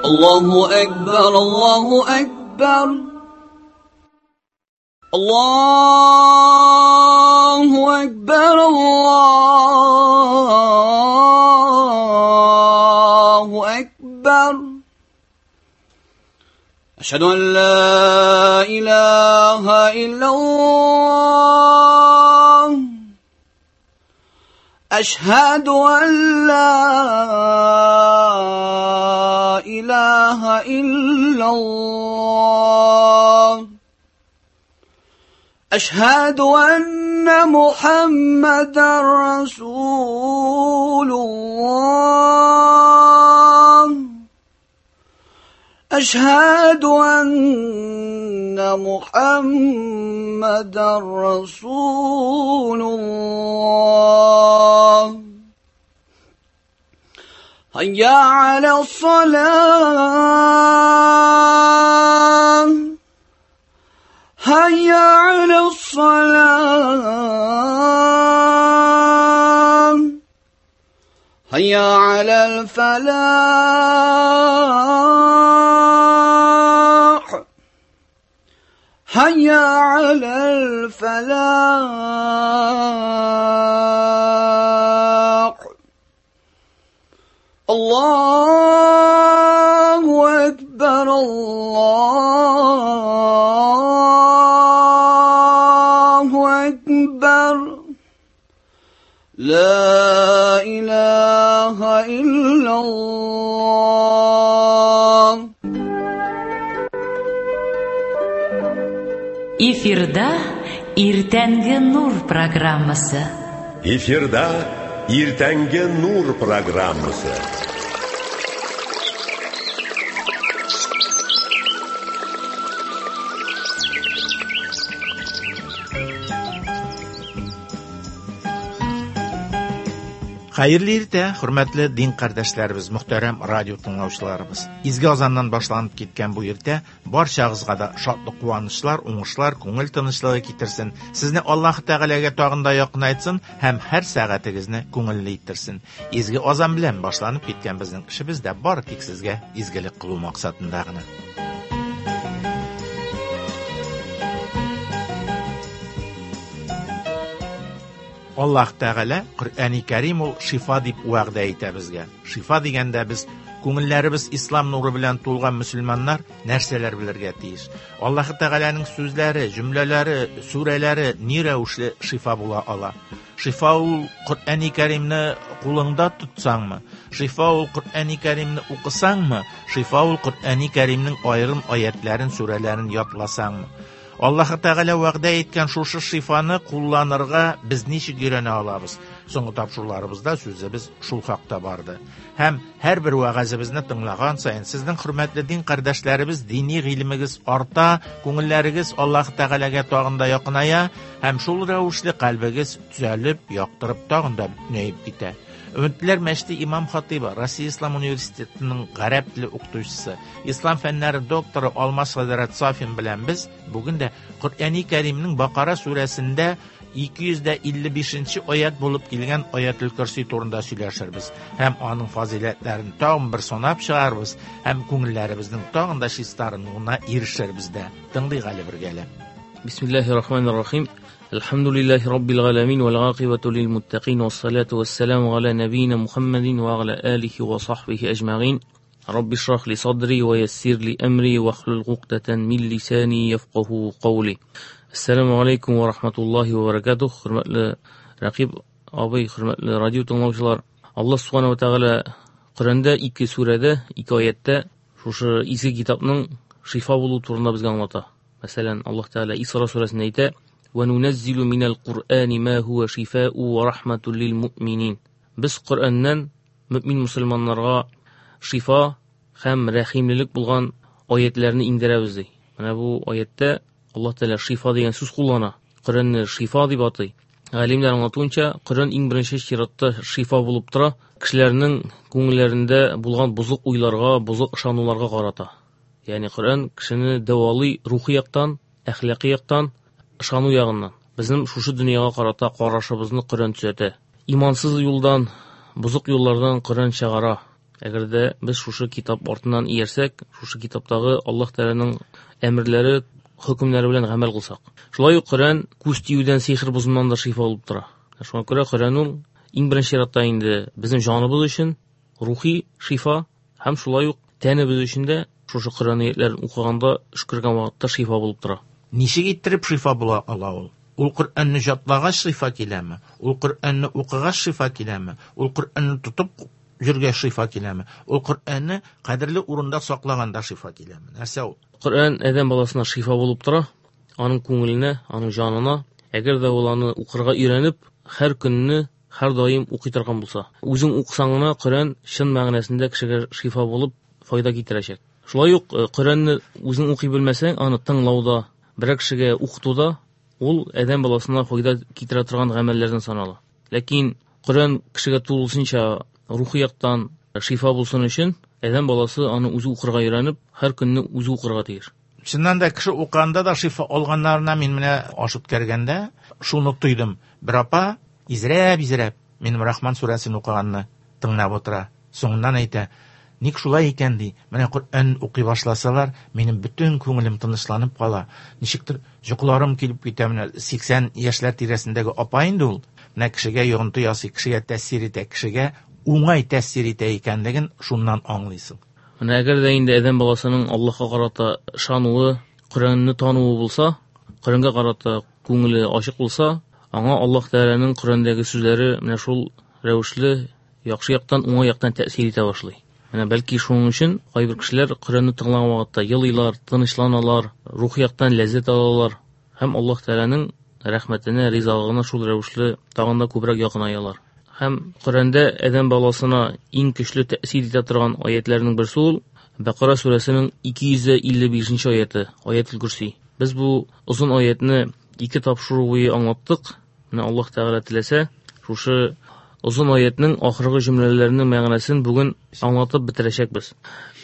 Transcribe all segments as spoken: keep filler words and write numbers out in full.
الله أكبر الله أكبر الله أكبر الله أكبر أشهد أن لا إله إلا الله أشهد أن لا إله إلا الله أشهد أن محمدا رسول الله أشهد أن محمدا رسول الله هيا على الصلاة هيا على الصلاة هيا على الفلاح هيا على الفلاح الله أكبر الله أكبر لا إله إلا الله. Эфирда Иртәнге Нур программасы. Эфирда Иртәнге Нур программасы. Хәерле иртә, хөрмәтле дин кардәшләребез, мөхтәрәм радио тыңлаучыларыбыз. Изге азаннан башланып киткән бу иртә барчагызга да шатлык, куанычлар, уңышлар, күңел тынычлыгы китерсен. Сезне Аллаһ Тәгаләгә тагын да якынайтсын һәм һәр сәгатегезне күңелле иттерсен. Изге азан белән башланып киткән безнең эшебез дә бары тик сезгә изгелек кылу максатында гына. Аллаһ Тәгалә Коръәни Кәрим ул шифа дип вәгъдә итә безгә. Шифа дигәндә без күңелләребез ислам нуры белән тулган мөселманнар нәрсәләр белергә тиеш? Аллаһ Тәгаләнең сүзләре, җөмләләре, сүрәләре ни рәвешле шифа була ала? Шифа ул Коръәни Кәримне кулыңда тотсаңмы? Шифа ул Коръәни Кәримне укысаңмы? Шифа ул Коръәни Кәримнең аерым аятларын, сүрәләрен ятласаңмы? Аллаһ Тәгалә вәгъдә иткән шушы шифаны кулланырга без ничек өйрәнә алабыз? Соңгы тапшыруларыбызда сүзебез шул хакта барды. Һәм һәрбер вәгазебезне тыңлаган саен сезнең хөрмәтле дин кардәшләребез дини гыйлемегез арта, күңелләрегез Аллаһ Тәгаләгә тагын да якыная һәм шул рәвешле кальбегез төзәлеп, яктырып тагын да бөтенәеп китә. Өметләр мәчете имам хатибы, Россия Ислам университетының гарәп теле укытучысы, ислам фәннәре докторы Алмаз хәзрәт Сафин белән без бүген дә Коръәни Кәримнең Бакара сүрәсендә ике йөз илле бишенче аят булып килгән Аятул Көрси турында сөйләшербез һәм аның фазыйләтләрен тагын бер санап чыгарбыз һәм күңелләребезнең тагын да чистарынуына ирешербез дә. Тыңлыйк әле бергәләп. Бисмиллаһир-рахманир-рахим. الحمد لله رب العالمين والعاقبة للمتقين والصلاة والسلام على نبينا محمد وعلى آله وصحبه أجمعين. رب اشرح لي صدري ويسر لي أمري واحلل عقدة من لساني يفقه قولي. السلام عليكم ورحمة الله وبركاته. Хөрмәтле Рәкиб абый, хөрмәтле радио тыңлаучылар, Аллаһ Субханаһу ва Тәгалә Коръәндә ике сүрәдә, ике аяттә шушы изге китапның шифа булу турында безгә аңлата. Мәсәлән, Аллаһ Тәгалә Исра сүрәсендә әйтә: وَنُنَزِّلُ مِنَ الْقُرْآنِ مَا هُوَ شِفَاءٌ وَرَحْمَةٌ لِلْمُؤْمِنِينَ. Без Коръәннән мөмин мөселманнарга шифа һәм рәхимлелек булган аятларны иңдерәбез ди. Менә бу аяттә Аллаһ Тәгалә шифа дигән сүз куллана. Коръәнне шифа дип атый. Галимнәр аңлатуынча, Коръән иң беренче чиратта шифа булып тора, кешеләрнең күңелләрендә булган бозык уйларга, бозык ышануларга карата. Ягъни Коръән кешене дәвалый рухи яктан, әхлакый яктан, ышану ягыннан. Безнең шушы дөньяга карата карашыбызны Коръән төзәтә. Имансыз юлдан, бозык юллардан Коръән чыгара. Әгәр дә без шушы китап артыннан иярсәк, шушы китаптагы Аллаһ Тәгаләнең әмерләре, хөкемнәре белән гамәл кылсак. Шулай ук Коръән күз тиюдән, сихер бозымнан да шифа булып тора. Шуңа күрә Коръән ул иң беренче чиратта инде безнең җаныбыз өчен рухи шифа һәм шулай ук тәнебез өчен дә шушы Коръән аятларын укыганда, өшкергән вакытта шифа булып тора. Ничек иттереп шифа була ала ул? Ул Коръәнне җатлагач шифа киләме? Ул Коръәнне укыгач шифа киләме? Ул Коръәнне тотып йөргәч шифа киләме? Ул Коръәнне кадерле урында саклаганда шифа киләме? Нәрсә ул? Коръән адәм баласына шифа булып тора, аның күңеленә, аның җанына. Әгәр дә ул аны укырга өйрәнеп, һәр көнне, һәр даим укый торган булса, үзең укысаң гына Коръән чын мәгънәсендә кешегә шифа булып файда китерәчәк. Шулай ук Коръәнне үзең укый белмәсәң, аны тыңлауда, берәр кешегә укытуда ул адәм баласына файда китерә торган гамәлләрдән санала. Ләкин Коръән кешегә тулысынча рухи яктан шифа булсын өчен адәм баласы аны үзе укырга өйрәнеп, һәр көнне үзе укырга тиеш. Чыннан да кеше укыганда да шифа алганнарына мин менә аш үткәргәндә шуны тойдым. Бер апа изрәп-изрәп минем Рахман сүрәсен укыганны тыңлап утыра. Соңыннан әйтә: "Ник шулай икән ди? Менә Коръән укый башласалар, минем бөтен күңелем тынычланып кала. Ничектер йокыларым килеп китә." Менә сиксән яшьләр тирәсендәге апа инде ул. Менә кешегә йогынты ясый, кешегә тәэсир итә, кешегә уңай тәэсир итә икәнлеген шуннан аңлыйсың. Менә әгәр дә инде адәм баласының Аллаһка карата ышануы, Коръәнне тануы булса, Коръәнгә карата күңеле ачык булса, аңа Аллаһ Тәгаләнең Коръәндәге сүзләре менә шул рәвешле яхшы яктан, уңай яктан тәэсир итә башлый. Менә бәлки шуның өчен кайбер кешеләр Коръәнне тыңлаган вакытта елыйлар, тынычланалар, рухи яктан ләззәт алалар һәм Аллаһ Тәгаләнең рәхмәтенә, ризалыгына шул рәвешле тагын да күбрәк якынаялар. Һәм Коръәндә адәм баласына иң көчле тәэсир итә торган аятларның берсе ул Бакара сүрәсенең ике йөз илле бишенче аяты, Аятул Курси. Без бу озын аятны ике тапшыру буе аңлаттык. Менә Аллаһ Тәгалә теләсә, шушы озын аятның ахыргы җөмләләренең мәгънәсен бүген аңлатып бетерәчәкбез.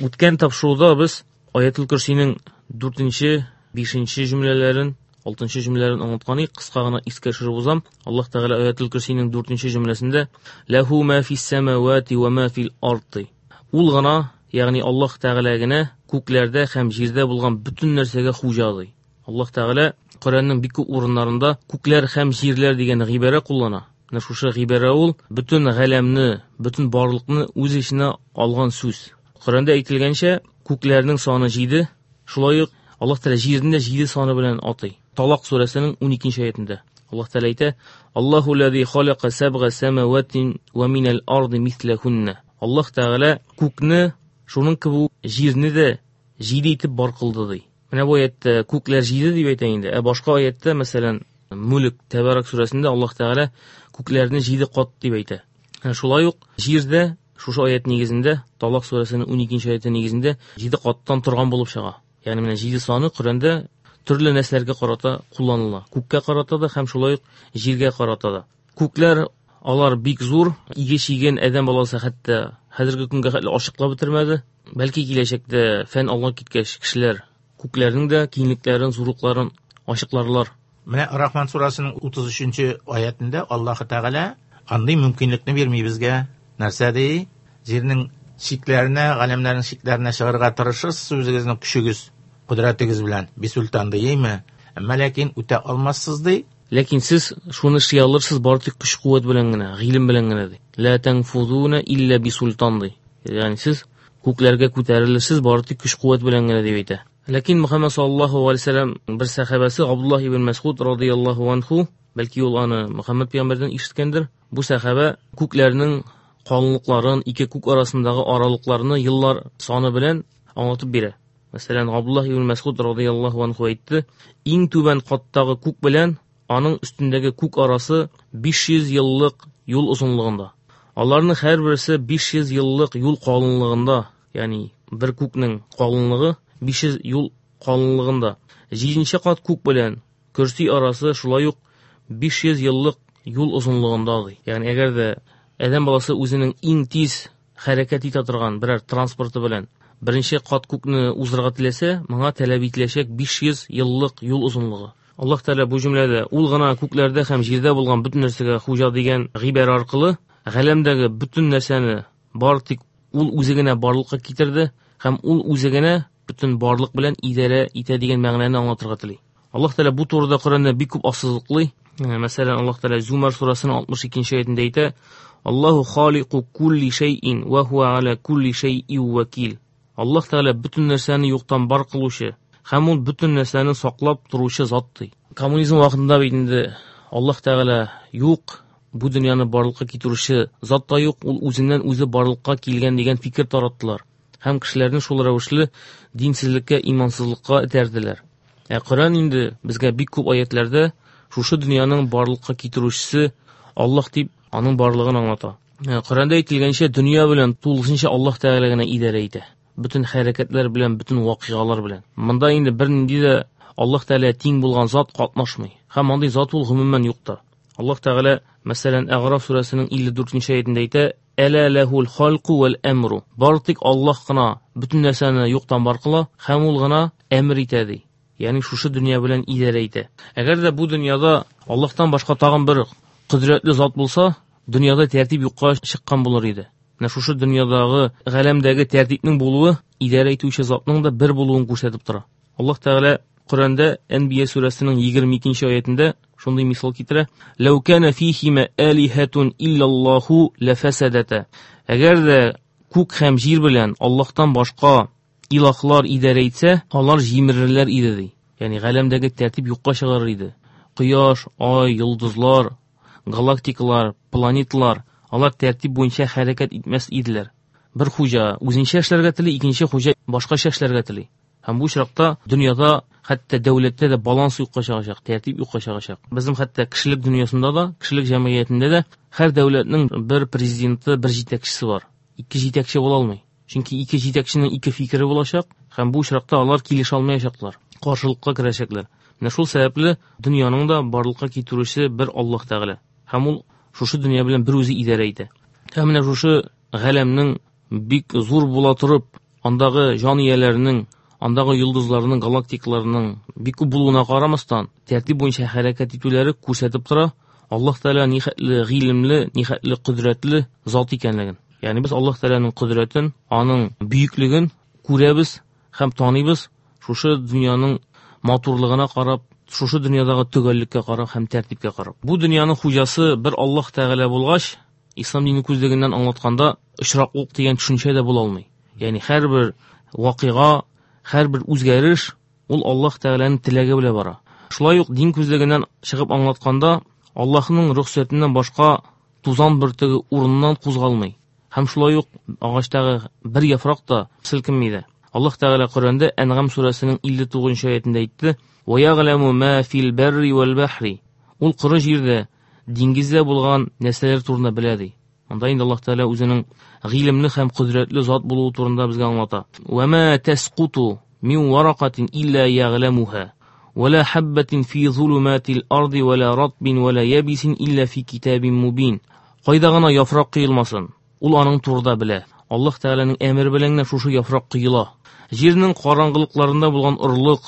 Үткән тапшыруда без Аятул Курсиның дүртенче, бишенче җөмләләрен, алтынчы җөмләләрен аңлаткан идек. Кыска гына искә төшереп узам. Аллаһ Тәгалә Аятул Курсиның дүртенче җөмләсендә Ләһу ма фис самавати ва ма фил арди. Ул гына, ягъни Аллаһ Тәгалә генә күкләрдә һәм җирдә булган бөтен нәрсәгә хуҗа ди. Аллаһ Тәгалә Коръәннең бик күп урыннарында күкләр һәм җирләр дигән гыйбарә куллана. Менә шушы гыйбарә ул бөтен галәмне, бөтен барлыкны үз эченә алган сүз. Коръәндә әйтелгәнчә, күкләрнең саны җиде, шулай ук Аллаһ Тәгалә җирне дә җиде саны белән атый. Талак сүрәсенең уникенче аятында Аллаһ Тәгалә әйтә: Аллаһу лази халака сабга самаватин ва минал арди мислахунна. Аллаһ Тәгалә күкне, шуның кебек җирне дә җиде итеп бар кылды ди. Менә бу аятта күкләр җиде дип әйтә инде. Ә башка аятта, мәсәлән, Мүлк Тәбәрәк сүрәсендә Аллаһ Тәгалә күкләрне җиде кат дип әйтә. Ә шулай ук җирдә шушы аят нигезендә, Талак сүрәсенең уникенче аяты нигезендә җиде каттан торган булып чыга. Ягъни менә җиде саны Коръәндә төрле нәрсәләргә карата кулланыла. Күккә карата да һәм шулай ук җиргә карата да. Күкләр алар бик зур, иге чиген адәм баласы хәтта хәзерге көнгә хәтле ачыклап бетермәде. Бәлки киләчәктә фән алга киткәч кешеләр күкләрнең дә киңлекләрен, зурлыкларын ачыкларлар. Менә Рахман сурасының утыз өченче аятында Аллаһ Тәгалә андый мөмкинлекне бирми безгә. Нәрсә ди? Җирнең чикләренә, галәмнәрнең чикләренә чыгарга тырышырсыз үзегезнең көчегез, кодрәтегез белән. Бисултан дийме? Әмма ләкин үтә алмассыз ди. Ләкин сез шуны эшли алырсыз бары тик көч-куәт белән генә, гыйлем белән генә ди. Ла танфузуна илля бисултан ди. Ягъни сез күкләргә күтәрелерсез бары тик көч-куәт белән генә дип әйтә. Ләкин Мөхәммәд саллаллаһу алейһи ва сәлләм бер сәхабәсе Абдуллаһ ибн Мәсгуд радыяллаһу анху, бәлки ул аны Мөхәммәд пәйгамбәрдән ишеткәндер, бу сәхабә күкләрнең калынлыкларын, ике күк арасындагы аралыкларны еллар саны белән аңлатып бирә. Мәсәлән, Абдуллаһ ибн Мәсгуд радыяллаһу анху әйтте: иң түбән каттагы күк белән аның өстендәге күк арасы биш йөз еллык юл озынлыгында. Аларның һәрберсе биш йөз еллык юл калынлыгында, ягъни бер күкнең калынлыгы биш йөз юл калынлыгында. Җиденче кат күк белән көрси арасы шулай ук биш йөз еллык юл озынлыгында ди. Ягъни әгәр дә адәм баласы үзенең иң тиз хәрәкәт итә торган берәр транспорты белән беренче кат күкне уздырырга теләсә, моңа таләп ителәчәк биш йөз еллык юл озынлыгы. Аллаһ Тәгалә бу җөмләдә ул гына күкләрдә һәм җирдә булган бөтен нәрсәгә хуҗа дигән гыйбарә аркылы галәмдәге бөтен нәрсәне бары тик ул үзе генә барлыкка китерде һәм ул үзе генә бөтен барлык белән идарә итә дигән мәгънәне аңлатырга тели. Аллаһ Тәгалә бу турыда Коръәндә бик күп ассызыклый. Мәсәлән, Аллаһ Тәгалә Зумар сурасының алтмыш икенче аятендә әйтә: Аллаһу халику кулли шәйин ва хуа аля кулли шәйин вакил. Аллаһ Тәгалә бөтен нәрсәне юктан бар кылучы һәм ул бөтен нәрсәне саклап торучы зат ди. Коммунизм вакытында бит инде Аллаһ Тәгалә юк, бу дөньяны барлыкка китерүче зат та юк, ул үзеннән үзе барлыкка килгән дигән фикер тараттылар. Һәм кешеләрне шул рәвешле динсезлеккә, имансызлыкка этәрделәр. Ә Коръән инде безгә бик күп аятларда шушы дөньяның барлыкка китерүчесе Аллаһ дип аның барлыгын аңлата. Коръәндә әйтелгәнчә, дөнья белән тулысынча Аллаһ Тәгалә генә идарә итә. Бөтен хәрәкәтләр белән, бөтен вакыйгалар белән. Монда инде бернинди дә Аллаһ Тәгалә тиң булган зат катнашмый. Һәм андый зат ул гомумән юк та. Аллаһ Тәгалә, мәсәлән, Әгъраф сүрәсенең илле дүртенче аятендә әйтә: Әла ләһул халку вәл әмру. Бары тик Аллаһ кына бөтен нәрсәне юктан бар кыла һәм ул гына әмер итә ди. Ягъни шушы дөнья белән идарә итә. Әгәр дә бу дөньяда Аллаһтан башка тагын бер кодрәтле зат булса, дөньяда тәртип юкка чыккан булыр иде. Менә шушы дөньядагы, галәмдәге тәртипнең булуы идарә итүче затның да бер булуын күрсәтеп тора. Аллаһ Тәгалә Коръәндә Әнбия сүрәсенең егерме икенче аятендә шундый мисал китерә: Ләү кана фихима алихатун иллаллаху лафасадата. Әгәр дә күк һәм җир белән Аллаһтан башка илаһлар идарә итсә, алар җимерелер иде ди. Ягъни галәмдәге тәртип юкка чыгар иде. Кояш, ай, йолдызлар, галактикалар, планеталар, алар тәртип буенча хәрәкәт итмәс иделәр. Бер хуҗа үзенчә эшләргә тели, икенче хуҗа башкача эшләргә тели. Һәм бу очракта дөньяда, хәтта дәүләттә дә баланс юкка чыгачак, тәртип юкка чыгачак. Безнең хәтта кешелек дөньясында да, кешелек җәмгыятендә дә һәр дәүләтнең бер президенты, бер җитәкчесе бар. Ике җитәкче була алмый. Чөнки ике җитәкченең ике фикере булачак, һәм бу очракта алар килешә алмаячаклар, каршылыкка керәчәкләр. Менә шул сәбәпле дөньяның да барлыкка китерүче бер Аллаһ Тәгалә. Һәм ул шушы дөнья белән бер үзе идарә итә. Һәм менә шушы галәмнең бик зур була торып, андагы җан ияләренең, андагы йолдызларның, галактикаларның бик күп булуына карамастан, тәртип буенча хәрәкәт итүләре күрсәтеп тора Аллаһ Тәгалә нихәтле гыйлемле, нихәтле кодрәтле зат икәнлеген. Ягъни без Аллаһ Тәгаләнең кодрәтен, аның бөеклеген күрәбез һәм таныйбыз шушы дөньяның матурлыгына карап, шушы дөньядагы төгәллеккә карап һәм тәртипкә карап. Бу дөньяның хуҗасы бер Аллаһ Тәгалә булгач, ислам дине күзлегеннән аңлатканда очраклык дигән төшенчә дә була алмый. Ягъни һәрбер вакыйга, һәрбер үзгәреш ул Аллаһ Тәгаләнең теләге белән бара. Шулай ук дин күзлегеннән чыгып аңлатканда, Аллаһның рөхсәтеннән башка тузан бөртеге урыннан кузгалмый. Һәм шулай ук агачтагы бер яфрак та селкенми дә. Аллаһ Тәгалә Коръәндә Әнгам сүрәсенең илле тугызынчы аятендә әйтте: Ва яғламу ма фил барри вал бахри. Ул коры җирдә, диңгездә булган нәрсәләр турында белә ди. Анда инде Аллаһ Тәгалә үзенең гыйлемле һәм кодрәтле зат булуы турында безгә аңлата. Ва ма тасқуту мин варақатин илля яғламуха ва ла хаббатин фи зулуматил арди ва ла ратбин ва ла ябисин илля фи китабин мубин. Кайда гына яфрак коелмасын, ул аның турында белә. Аллаһ Тәгаләнең әмере белән генә шушы яфрак коела. Җирнең караңгылыкларында булган орлык,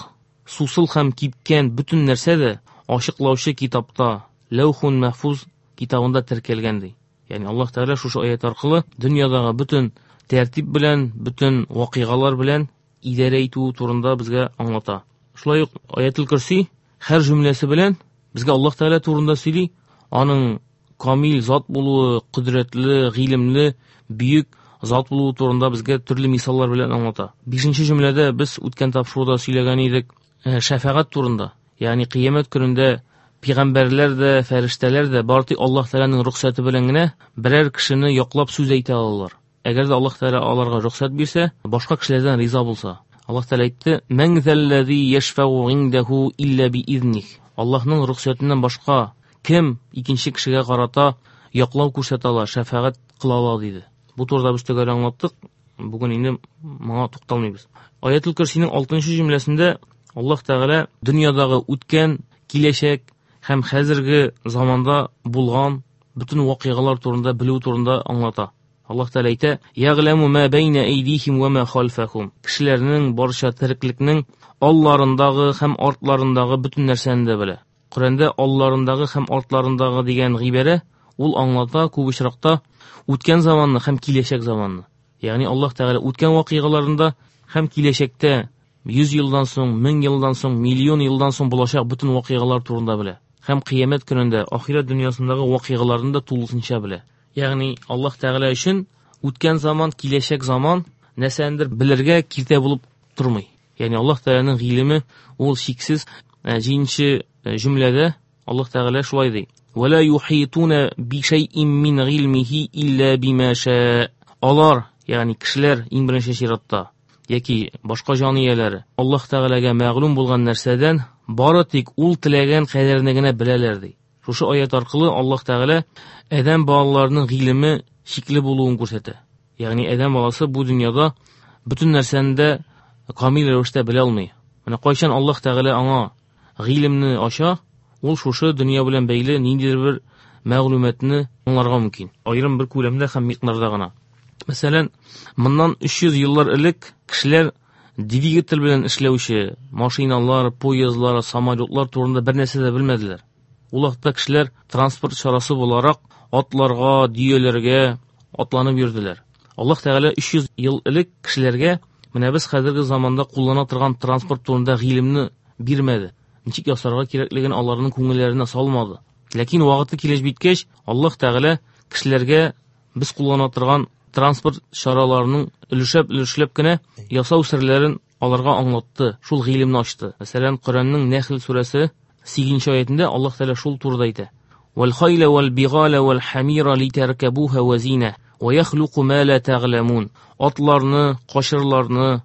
сусыл һәм кипкән бөтен нәрсә дә ачыклаучы китапта, Ләүхун Мәхфуз китабында теркәлгән ди. Ягъни Аллаһ Тәгалә шушы аят аркылы дөньядагы бөтен тәртип белән, бөтен вакыйгалар белән идарә итү турында безгә аңлата. Шулай ук Аятул Курси һәр җөмләсе белән безгә Аллаһ Тәгалә турында сөйли, аның камил зат булуы, кодрәтле, гыйлемле, бөек зат булуы турында безгә төрле мисаллар белән аңлата. Бишенче җөмләдә без үткән тапшыруда сөйләгән идек, э, шәфәгать турында. Ягъни кыямәт көнендә пәйгамбәрләр дә, фәрештәләр дә бары тик Аллаһ Тәгаләнең рөхсәте белән генә берәр кешене яклап сүз әйтә алалар. Әгәр дә Аллаһ Тәгалә аларга рөхсәт бирсә, башка кешеләрдән риза булса. Аллаһ Тәгалә әйтте: "Мән заллази яшфау индаху илля биизних." Аллаһның рөхсәтеннән башка кем икенче кешегә карата яклау күрсәтә ала, шәфәгать кыла ала диде. Бу турыда без төгәл аңлаттык. Бүген инде моңа тукталмыйбыз. Аятул Курсиның алтынчы җөмләсендә Аллаһ Тәгалә дөньядагы үткән, киләчәк һәм хәзерге заманда булган бөтен вакыйгалар турында белү турында аңлата. Аллаһ Тәгалә әйтә: "Яғламу ма байна айдихим ва ма халфахум." Кешеләрнең барча тереклекнең алларындагы һәм артларындагы бөтен нәрсәне дә белә. Коръәндә алларындагы һәм артларындагы дигән гыйбарә ул аңлата күп очракта үткән заманны һәм киләчәк заманны. Ягъни Аллаһ Тәгалә үткән вакыйгаларында һәм киләчәктә йөз елдан соң, мең елдан соң, миллион елдан соң булачак бөтен вакыйгалар турында белә. Һәм кыямәт көнендә ахирәт дөньясындагы вакыйгаларны да тулысынча белә. Ягъни Аллаһ Тәгалә өчен үткән заман, киләчәк заман нәрсәндер белергә киртә булып тормый. Ягъни Аллаһ Тәгаләнең гыйлеме ул чиксез. Җиденче җөмләдә Аллаһ Тәгалә шулай ди: "Ва ла юхитуна би шайъин мин гыйлмихи илля бима ша". Алар, ягъни кешеләр иң беренче чиратта яки башка җан ияләре Аллаһ Тәгаләгә мәгълүм булган нәрсәдән бары тик ул теләгән кадәрне генә беләләр ди. Шушы аят аркылы Аллаһ Тәгалә адәм балаларының гыйлеме чикле булуын күрсәтә. Ягъни адәм баласы бу дөньяда бөтен нәрсәне дә камил рәвештә белә алмый. Менә кайчан Аллаһ Тәгалә аңа гыйлемне ача, ул шушы дөнья белән бәйле ниндидер бер мәгълүматны аңларга мөмкин. Аерым бер күләмдә һәм микъдарда гына. Мәсәлән, моннан өч йөз еллар элек кешеләр двигатель белән эшләүче машиналар, поездлар, самолетлар турында бер нәрсә дә белмәделәр. Ул вакытта кешеләр транспорт чарасы буларак атларга, дөяләргә атланып йөрделәр. Аллаһ Тәгалә өч йөз ел элек кешеләргә менә без хәзерге заманда куллана торган транспорт турында гыйлемне бирмәде. Ничек ясарга кирәклеген аларның күңелләренә салмады. Ләкин вакыты килеп җиткәч, Аллаһ Тәгалә кешеләргә без куллана торган транспорт чараларының өлешләп-өлешләп кенә ясау серләрен аларга аңлатты, шул гыйлемне ачты. Мәсәлән, Коръәннең Нәхл сүрәсе сигезенче аятында Аллаһ Тәгалә шул турыда әйтә: "Вал хайла вал бигала вал хамира литаркабуха ва зина ва яхлуку ма ла тәгъламун". Атларны, кашырларны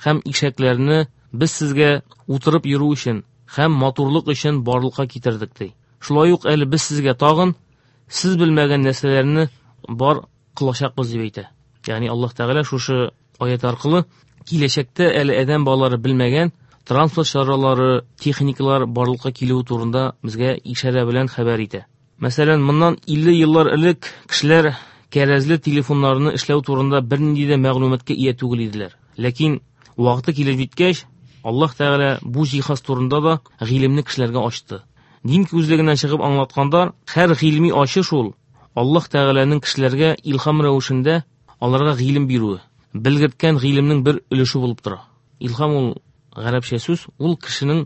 һәм ишәкләрне без сезгә утырып йөрү өчен һәм матурлык өчен барлыкка китердек ди. Шулай ук әле без сезгә тагын сез белмәгән нәрсәләрне бар кылачакбыз дип әйтә. Ягъни Аллаһ Тәгалә шушы аят аркылы киләчәктә әле адәм балалары белмәгән транспорт чаралары, техникалар барлыкка килүе турында безгә ишарә белән хәбәр итә. Мәсәлән, моннан илле еллар элек кешеләр кәрәзле телефоннарны эшләү турында бернинди дә мәгълүматка ия түгел иделәр. Ләкин вакыты килеп җиткәч, Аллаһ Тәгалә бу җиһаз турында да гыйлемне кешеләргә ачты. Дин күзлегеннән чыгып аңлатканда, һәр гыйльми ачыш ул Аллаһ Тәгаләнең кешеләргә илһам рәвешендә аларга гыйлем бирүе, белгерткән гыйлемнең бер өлеше булып тора. Илһам ул гарәпчә сүз, ул кешенең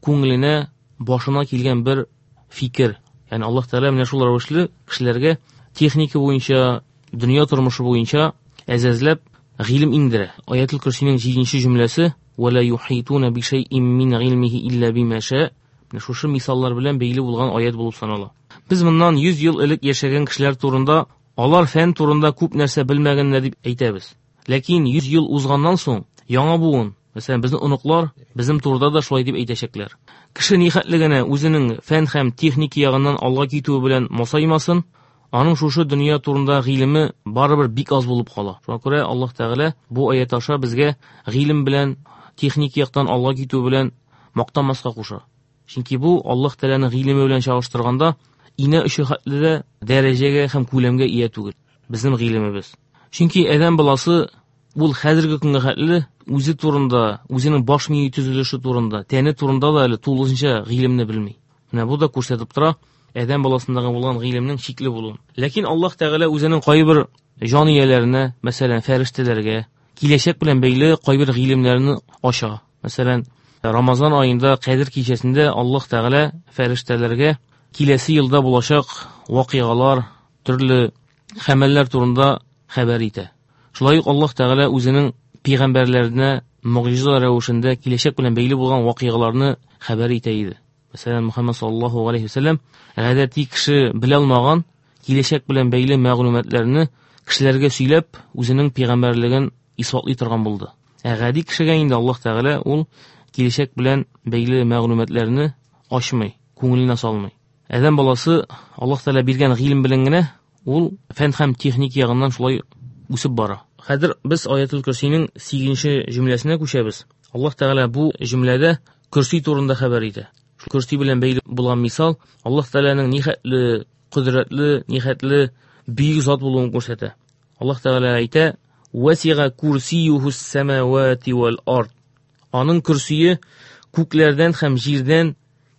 күңеленә, башына килгән бер фикер. Ягъни Аллаһ Тәгалә менә шул рәвешле кешеләргә техника буенча, дөнья тормышы буенча әзәзләп гыйлем иңдерә. Аятул Көрсинең җиденче җөмләсе: "Ва ла юхитуна би шайъин мин гыйлмихи илля бима ша". Менә шушы мисаллар белән бәйле булган аят булып санала. Без моннан йөз ел элек яшәгән кешеләр турында, алар фән турында күп нәрсә белмәгәннәр дип әйтәбез. Ләкин йөз ел узганнан соң яңа буын, мәсәлән, безнең оныклар безнең турыда да шулай дип әйтәчәкләр. Кеше нихәтле генә үзенең фән һәм техника ягыннан алга китүе белән масаймасын, аның шушы дөнья турында гыйлеме барыбер бик аз булып кала. Шуңа күрә Аллаһ Тәгалә бу аят аша безгә гыйлем белән, техник яктан алга китү белән мактанмаска куша. Чөнки бу Аллаһ Тәгаләнең гыйлеме белән чагыштырганда инә очы хәтле дә дәрәҗәгә һәм күләмгә ия түгел безнең гыйлемебез. Чөнки адәм баласы ул хәзерге көнгә хәтле үзе турында, үзенең баш мие төзелеше турында, тәне турында да әле тулысынча гыйлемне белми. Менә бу да күрсәтеп тора адәм баласындагы булган гыйлемнең чикле булуын. Ләкин Аллаһ Тәгалә үзенең кайбер җан ияләренә, мәсәлән, фәрештәләргә киләчәк белән бәйле кайбер гыйлемнәрне ача. Мәсәлән, Рамазан аенда Кадер кичәсендә Аллаһ Тәгалә фәрештәләргә киләсе елда булачак вакыйгалар, төрле хәмәлләр турында хәбәр итә. Шулай ук Аллаһ Тәгалә үзенең пәйгамбәрләренә могҗиза рәвешендә киләчәк белән бәйле булган вакыйгаларны хәбәр итә иде. Мәсәлән, Мөхәммәд саллаллаһу алейһи ва сәлләм гадәти кеше белә алмаган киләчәк белән бәйле мәгълүматларны кешеләргә сөйләп, үзенең пәйгамбәрлеген исбатлый торган булды. Ә гади кешегә инде Аллаһ Тәгалә ул киләчәк белән бәйле мәгълүматларны ачмый, күңеленә салмый. Адәм баласы Аллаһ Тәгалә биргән гыйлем белән генә ул фән һәм техник ягыннан шулай үсеп бара. Хәзер без Аятул Көрсинең сигезенче җөмләсенә күчәбез. Аллаһ Тәгалә бу җөмләдә көрси турында хәбәр итә. Шул көрси белән бәйле булган мисал Аллаһ Тәгаләнең нихәтле кодрәтле, нихәтле бөек зат булуын күрсәтә. Аллаһ Тәгалә әйтә: "Васига курсиюхус самавати вал ард". Аның көрсие күкләрдән һәм җирдән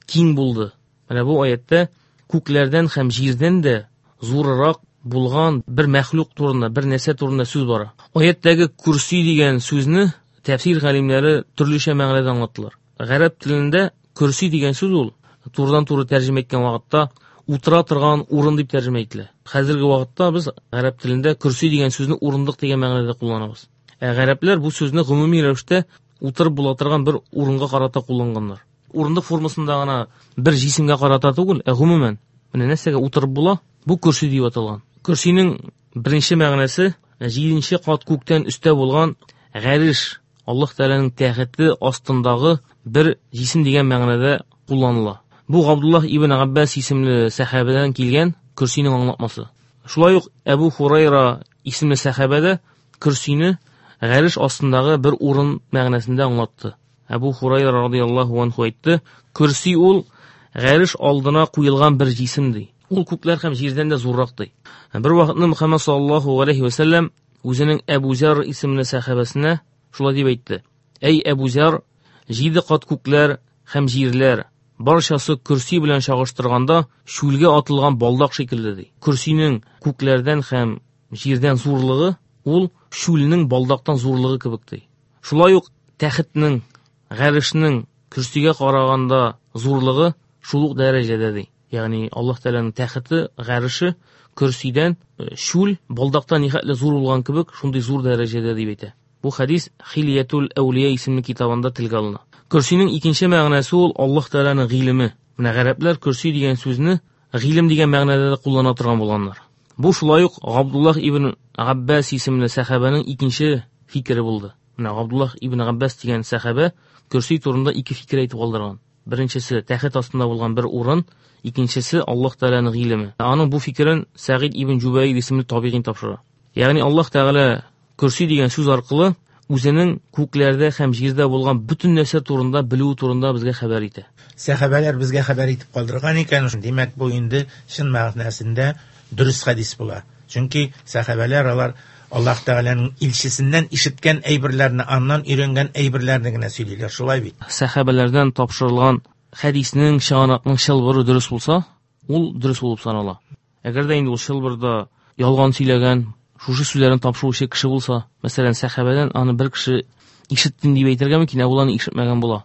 киң булды. Менә бу аятта күкләрдән һәм җирдән дә зуррак булган бер мәхлук турында, бер нәрсә турында сүз бара. Аяттәге курси дигән сүзне тәфсир галимнәре төрлечә мәгънәдә аңлаттылар. Гарәп телендә курси дигән сүз ул турыдан-туры тәрҗемә иткән вакытта утыра торган урын дип тәрҗемә ителә. Хәзерге вакытта без гарәп телендә курси дигән сүзне урындык дигән мәгънәдә кулланабыз. Ә гарәпләр бу сүзне гомуми рәвештә утырып була торган бер урынга карата кулланганнар. Урындык формасында гына бер җисемгә карата түгел, ә гомумән менә нәрсәгә утырып була, бу курси дип аталган. Курсинең беренче мәгънәсе җиденче кат күктән өстә булган гареш, Аллаһ Тәгаләнең тәхете астындагы бер җисем дигән мәгънәдә кулланыла. Бу Габдуллаһ ибн Габбас исемле сәхабәдән килгән курсинең аңлатмасы. Шулай ук Әбу Хурайра исемле сәхабә дә курсине гареш астындагы бер урын мәгънәсендә аңлатты. Әбу Хурайра радияллаһу анху әйтте: "Курси ул гареш алдына куелган бер җисем ди. Ул күкләр һәм җирдән дә зуррак ди." Бер вакытны Мөхәммәд саллаллаһу алейхи ва сәлләм үзенең Әбу Зәр исемле сәхабәсенә шулай дип әйтте: "Әй Әбу Зәр, җиде кат күкләр һәм җирләр барчасы курси белән чагыштырганда чүлгә атылган балдак шикелле ди. Курсинең күкләрдән һәм җирдән зурлыгы ул чүлнең балдактан зурлыгы кебек ди. Шулай ук тәхетнең, гарешнең курсигә караганда зурлыгы шул ук дәрәҗәдә ди. Ягъни Аллаһ Тәгаләнең тәхете, гареше курсидән чүл балдактан нихәтле зур булган кебек, шундый зур дәрәҗәдә дип әйтә. Бу хадис Хилиятул Әүлия исемле китабында телгә алына. Курсинең икенче мәгънәсе ул Аллаһ Тәгаләнең гыйлеме. Менә гарәпләр курси дигән сүзне гыйлем дигән мәгънәдә дә куллана торган булганнар. Бу шулай ук Габдуллаһ ибн Габбас исемле сәхабәнең икенче фикере булды. Менә Габдуллаһ ибн Габбас дигән сәхабә курси турында ике фикер әйтеп калдырган. Беренчесе тәхет астында булган бер урын, икенчесе Аллаһ Тәгаләнең гыйлеме. Аның бу фикерен Сәгыйд ибн Җубайр исемле табигин тапшыра. Ягъни Аллаһ Тәгалә курси дигән сүз аркылы үзенең күкләрдә һәм җирдә булган бөтен нәрсә турында белүе турында безгә хәбәр итә. Сәхабәләр безгә хәбәр итеп калдырган икән, димәк бу инде чын мәгънәсендә дөрес хәдис була. Чөнки сәхабәләр алар Аллаһ Тәгаләнең илчесеннән ишеткән әйберләрне, аннан өйрәнгән әйберләрне генә сөйлиләр, шулай бит. Сәхабәләрдән тапшырылган хәдиснең, чыганакның чылбыры дөрес булса, ул дөрес булып санала. Әгәр дә инде ул чылбырда ялган сөйләгән, шушы сүзләрен тапшыручы кеше булса, мәсәлән, сәхабәдән аны бер кеше ишеттем дип әйтергә мөмкин, ә ул аны ишетмәгән була.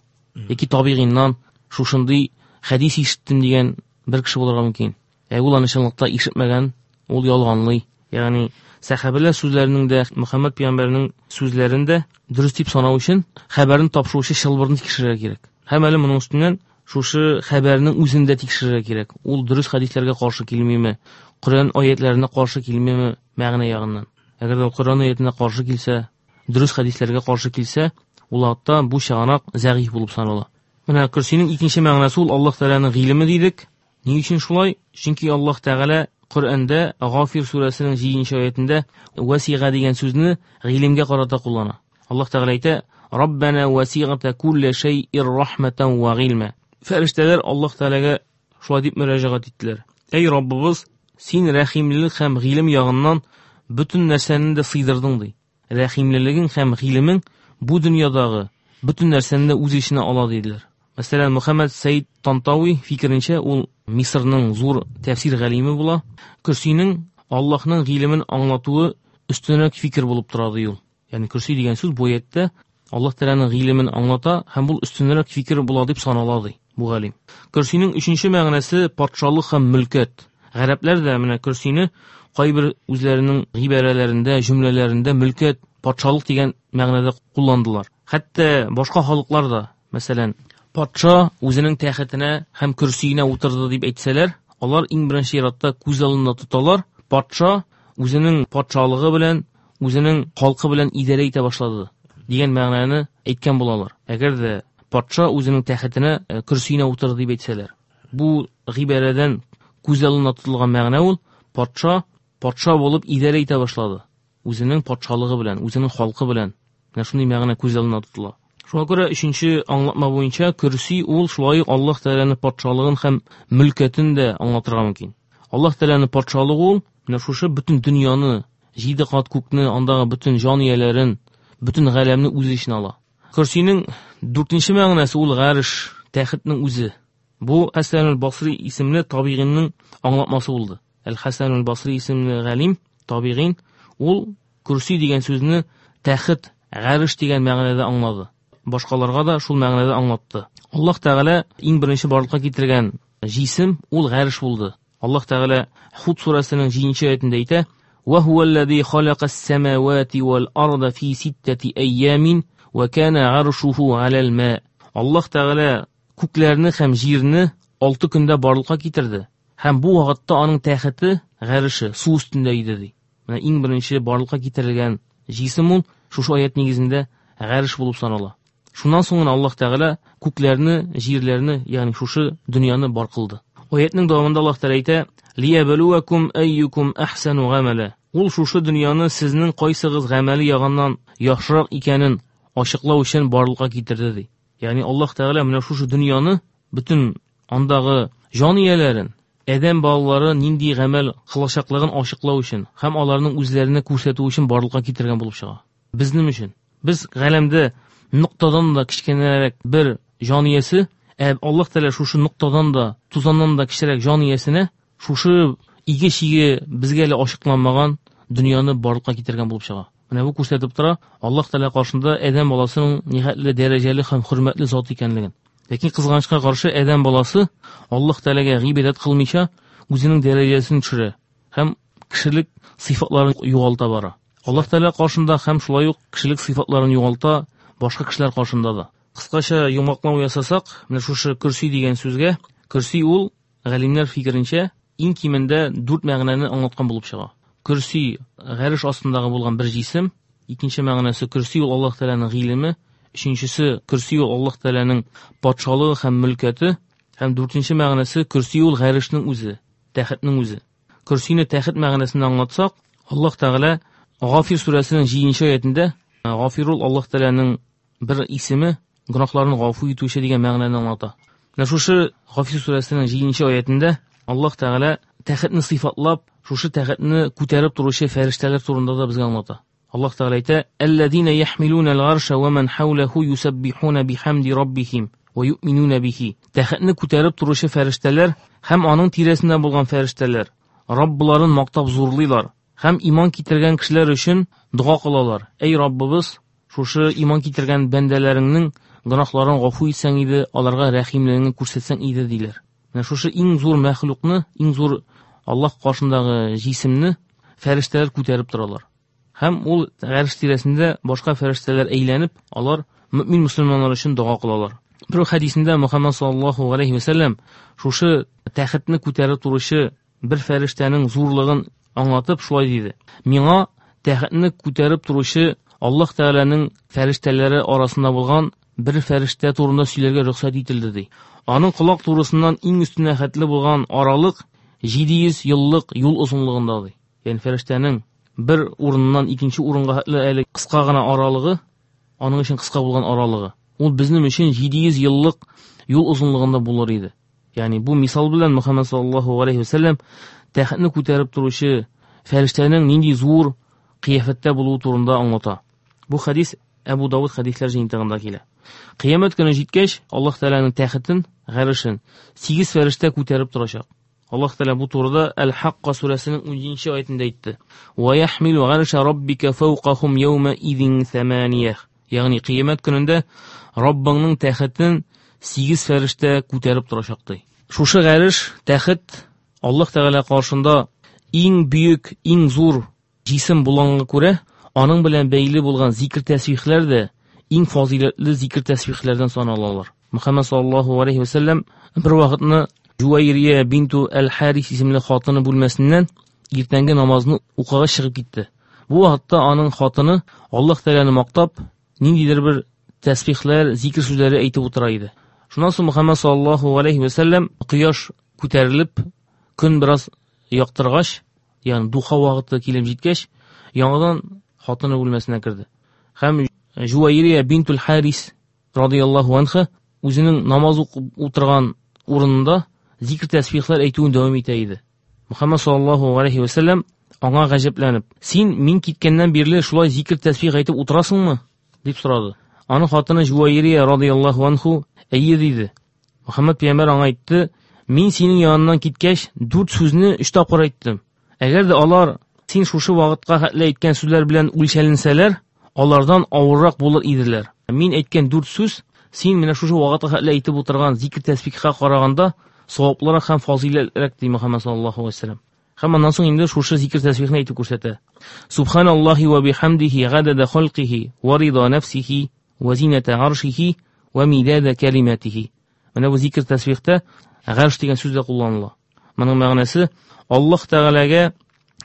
Яки табигыйннан шушындый хәдис ишеттем дигән бер кеше булырга мөмкин. Ә ул аны чынлыкта ишетмәгән, ул ялганлый. Ягъни сәхабәләр сүзләренең дә, Мөхәммәд пәйгамбәрнең сүзләрен дә дөрес дип санау өчен хәбәрне тапшыручы чылбырны тикшерергә кирәк. Һәм әле моның өстеннән шушы хәбәрнең үзен дә тикшерергә кирәк. Ул дөрес хәдисләргә каршы килмиме, Коръән аятларына каршы килмиме мәгънә ягыннан. Әгәр дә Коръән аятына каршы килсә, дөрес хәдисләргә каршы килсә, ул вакытта бу чыганак зәгыйф булып санала. Менә курсинең икенче мәгънәсе ул Аллаһ Тәгаләнең гыйлеме дидек. Ни өчен шулай? Чөнки Аллаһ Тәгалә Коръәндә Гафир сүрәсенең җиденче аятында васига дигән сүзне гыйлемгә карата куллана. Аллаһ Тәгалә әйтә: "Раббана васигата кулля шәйъир рахматан ва гыйлма." Фәрештәләр Аллаһ Тәгаләгә шулай дип мөрәҗәгать иттеләр: "Әй Раббыбыз, син рәхимлелек һәм гыйлем ягыннан бөтен нәрсәне дә сыйдырдың" ди. Рәхимлелегең һәм гыйлемең бу дөньядагы бөтен нәрсәне дә үз эченә ала диделәр. Мәсәлән, Мөхәммәд Сәйд Тантави фикеренчә, ул Мисырның зур тәфсир галиме була. Курсинең Аллаһның гыйлемен аңлатуы өстенрәк фикер булып тора ди ул. Ягъни курси дигән сүз бу аятта Аллаһ Тәгаләнең гыйлемен аңлата һәм бу өстенрәк фикер була дип санала ди бу галим. Курсинең өченче мәгънәсе патшалык һәм мөлкәт. Гарәпләр дә менә курсине кайбер үзләренең гыйбарәләрендә, җөмләләрендә мөлкәт, патшалык дигән мәгънәдә кулландылар. Хәтта башка халыклар да, мәсәлән, патша үзенең тәхетенә һәм курсиенә утырды дип әйтсәләр, алар иң беренче чиратта күз алдында тоталар, патша үзенең патшалыгы белән, үзенең халкы белән идарә итә башлады дигән мәгънәне әйткән булалар. Әгәр дә патша үзенең тәхетенә, курсиенә утырды дип әйтсәләр, бу гыйбарәдән күз алдында тотылган мәгънә ул патша патша булып идарә итә башлады. Үзенең патшалыгы белән, үзенең халкы белән. Менә шундый мәгънә күз алдында тотыла. Шуңа күрә өченче аңлатма буенча курси ул шулай ук Аллаһ Тәгаләнең патшалыгын һәм мөлкәтен дә аңлатырга мөмкин. Аллаһ Тәгаләнең патшалыгы ул менә шушы бөтен дөньяны, җиде кат күкне, андагы бөтен җан ияләрен, бөтен галәмне үз эченә ала. Курсинең дүртенче мәгънәсе ул гарш, тәхетнең үзе. Бу Хәсән аль-Басри исемле табигыйнның аңлатмасы булды. Әл-Хасан әл-Басри исемле галим, табигин, ул көрси дигән сүзне тәхет, гареш дигән мәгънәдә аңлады. Башкаларга да шул мәгънәдә аңлатты. Аллаһ Тәгалә иң беренче барлыкка китергән җисем ул гареш булды. Аллаһ Тәгалә Худ сүрәсенең җиденче аятендә әйтә: "Ва хуаллази халакас самавати вал арда фи ситтати айямин ва кана аршуху алал ма". Аллаһ Тәгалә күкләрне һәм җирне алты көндә барлыкка китерде. Һәм бу вакытта аның тәхете, гареше су өстендә иде ди. Менә иң беренче барлыкка китерелгән җисем ул шушы аят нигезендә гареш булып санала. Шуннан соң Аллаһ Тәгалә күкләрне, җирләрне, ягъни шушы дөньяны бар кылды. Аятның дәвамында Аллаһ Тәгалә әйтә: "Лиябалуакум айюкум ахсану гамала". Ул шушы дөньяны сезнең кайсыгыз гамәле ягыннан яхшырак икәнен ачыклау өчен барлыкка китерде ди. Ягъни Аллаһ Тәгалә менә шушы дөньяны, бөтен андагы җан ияләрен, адәм балалары нинди гамәл кылачаклыгын ачыклау өчен һәм аларның үзләренә күрсәтү өчен барлыкка китергән булып чыга. Безнең өчен. Без галәмдә ноктадан да кечкенәрәк бер җан иясе, ә Аллаһ Тәгалә шушы ноктадан да, тузаннан да кечерәк җан иясенә шушы иге-чиге безгә әле ачыкланмаган дөньяны барлыкка китергән булып чыга. Менә бу күрсәтеп тора Аллаһ Тәгалә каршында адәм баласының нихәтле дәрәҗәле һәм хөрмәтле зат икәнлеген. Ләкин кызганычка каршы адәм баласы Аллаһ Тәгаләгә гыйбадәт кылмыйча үзенең дәрәҗәсен төшерә һәм кешелек сыйфатларын югалта бара. Аллаһ Тәгалә каршында һәм шулай ук кешелек сыйфатларын югалта башка кешеләр каршында да. Кыскача йомгаклау ясасак, менә шушы көрси дигән сүзгә, көрси ул галимнәр фикеренчә иң кимендә дүрт мәгънәне аңлаткан булып чыга. Көрси гареш астындагы булган бер җисем, икенче мәгънәсе көрси ул Аллаһ Тәгаләнең гыйлеме, өченчесе көрси ул Аллаһ Тәгаләнең патшалыгы һәм мөлкәте, һәм дүртенче мәгънәсе көрси ул гарешнең үзе, тәхетнең үзе. Көрсине тәхет мәгънәсендә аңлатсак, Аллаһ Тәгалә Гафир сүрәсенең җиденче аятендә, Гафир ул Аллаһ Тәгаләнең бер исеме, гөнаһларны гафу итүче дигән мәгънәне аңлата. Менә шушы Гафир сүрәсенең җиденче аятендә Аллаһ Тәгалә тәхетне сыйфатлап, шушы тәхетне күтәреп торучы фәрештәләр турында да безгә аңлата. Аллаһ Тәгалә әйтә: "Аллазина яхмилуна аль-арша ва ман хавлаху юсаббихуна бихамди раббихим ва юъминуна бихи". Тәхетне күтәреп торучы фәрештәләр һәм аның тирәсендә булган фәрештәләр Раббларын мактап зурлыйлар һәм иман китергән кешеләр өчен дога кылалар. Эй Раббыбыз, шушы иман китергән бәндәләреңнең гөнаһларын гафу итсәң иде, аларга рәхимлегеңне күрсәтсәң иде диләр. Менә шушы иң зур мәхлукны, иң зур Аллаһ каршындагы җисемне фәрештәләр күтәреп торалар. Һәм ул гареш тирәсендә башка фәрештәләр әйләнеп, алар мөмин мөселманнар өчен дога кылалар. Бер хәдисендә Мөхәммәд саллаллаһу алейһи ва сәлләм шушы тәхетне күтәреп торучы бер фәрештәнең зурлыгын аңлатып шулай диде: "Миңа тәхетне күтәреп торучы Аллаһ Тәгаләнең фәрештәләре арасында булган бер фәрештә турында сөйләргә рөхсәт ителде", ди. Аның колак турысыннан иң өстенә хәтле булган аралык җиде йөз еллык юл озынлыгында, ди. Ягъни фәрештәнең бер урыннан икенче урынга хәтле әле кыска гына аралыгы, аның өчен кыска булган аралыгы, ул безнең өчен җиде йөз еллык юл озынлыгында булыр иде. Ягъни бу мисал белән Мөхәммәд саллаллаһу алейһи ва сәлләм тәхетне күтәреп торучы фәрештәнең нинди зур кыяфәттә булуы турында аңлата. Бу хәдис Әбу Давыд хәдисләр җыентыгында килә. Кыямәт көне җиткәч, Аллаһ Тәгаләнең тәхетен, гарешен сигез фәрештә күтәреп торачак. Аллаһ Тәгалә бу турыда Әл-Хакка сүрәсенең унҗиденче аятендә әйтте: "Ва яхмилу гарша раббика фawqahum yawma idin thamaniyah". Ягъни кыямәт көнендә Раббыңның тәхетен сигез фәрештә күтәреп торачак ди. Шушы гареш, тәхет Аллаһ Тәгалә каршында иң бөек, иң зур җисем булганга күрә, аның белән бәйле булган зикр тәсбихләр дә иң фазиләтле зикр тәсбихләрдән саналалар. Мөхәммәд саллаллаһу алейһи ва сәлләм бер вакытны Жуайрия бинту әл-Харис исемле хатыны бүлмәсеннән иртәнге намазны укырга чыгып китте. Бу вакытта аның хатыны Аллаһ Тәгаләне мактап, ниндидер бер тәсбихләр, зикр сүзләре әйтеп утыра иде. Шуннан соң Мөхәммәд саллаллаһу алейһи ва сәлләм кояш күтәрелеп, көн бераз яктыргач, ягъни духа вакыты килеп җиткәч, яңадан хатыны бүлмәсенә керде. Һәм Жуайрия бинтул Харис радияллаһу анха үзенең намаз укып утырган урынында зикр тәсбихләр әйтүен дәвам итә иде. Мөхәммәд саллаллаһу алейһи ва сәлләм аңа гаҗәпләнеп: "Син мин киткәннән бирле шулай зикр тәсбих әйтеп утырасыңмы?" дип сорады. Аның хатыны Жуайрия радияллаһу анху: "Әйе", диде. Мөхәммәд пәйгамбәр аңа әйтте: Мин синең яныннан киткәч, дүрт сүзне өч тапкыр әйттем. Әгәр дә алар син шушы вакытка хәтле әйткән сүзләр белән үлчәленсәләр, алардан авыррак булыр иделәр. Мин әйткән дүрт сүз син менә шушы вакытка хәтле әйтеп утырган зикр тәсбихка караганда саваплырак һәм фазыйләтрәк, ди Мөхәммәд саллаллаһу алейһи ва сәлләм. Һәм аннан соң инде шушы зикр тәсбихне әйтеп күрсәтә. Субханаллаһи ва бихамдихи гадада халқихи ва рида нафсихи ва зината аршихи ва мидада калиматихи. Менә бу зикр тәсбихтә гарш дигән сүз дә кулланыла. Моның мәгънәсе Аллаһ Тәгаләгә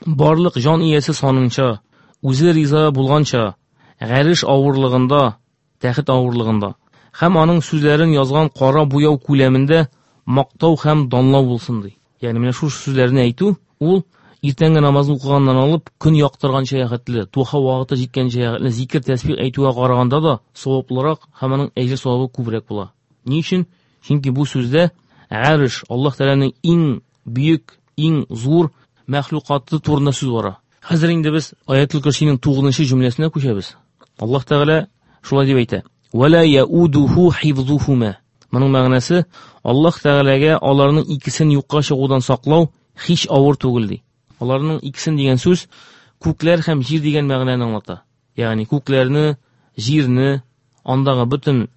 барлык җан иясе санынча, үзе риза булганча, гарш авырлыгында, тәхет авырлыгында һәм аның сүзләрен язган кара буяу күләмендә мактау һәм данлау булсын ди. Ягъни менә шушы сүзләрне әйтү ул иртәнге намазны укыганнан алып көн яктырганча хәтле, духа вакыты җиткәнчә хәтле зикр тәсбих әйтүгә караганда да саваплырак һәм аның әҗер савабы күбрәк була. Ни өчен? Чөнки бу сүздә гарш, Аллаһ Тәгаләнең иң бөек, иң зур мәхлукаты турында сүз бара. Хәзер инде без Аятул Көрсинең тугызынчы җөмләсенә күчәбез. Аллаһ Тәгалә шулай дип әйтә: "Ва ла яудуху хифзухума". Моның мәгънәсе Аллаһ Тәгаләгә аларның икесен юкка чыгудан саклау һич авыр түгел ди. Аларның икесен дигән сүз күкләр һәм җир дигән мәгънәне аңлата. Ягъни күкләрне, җирне, андагы бөтен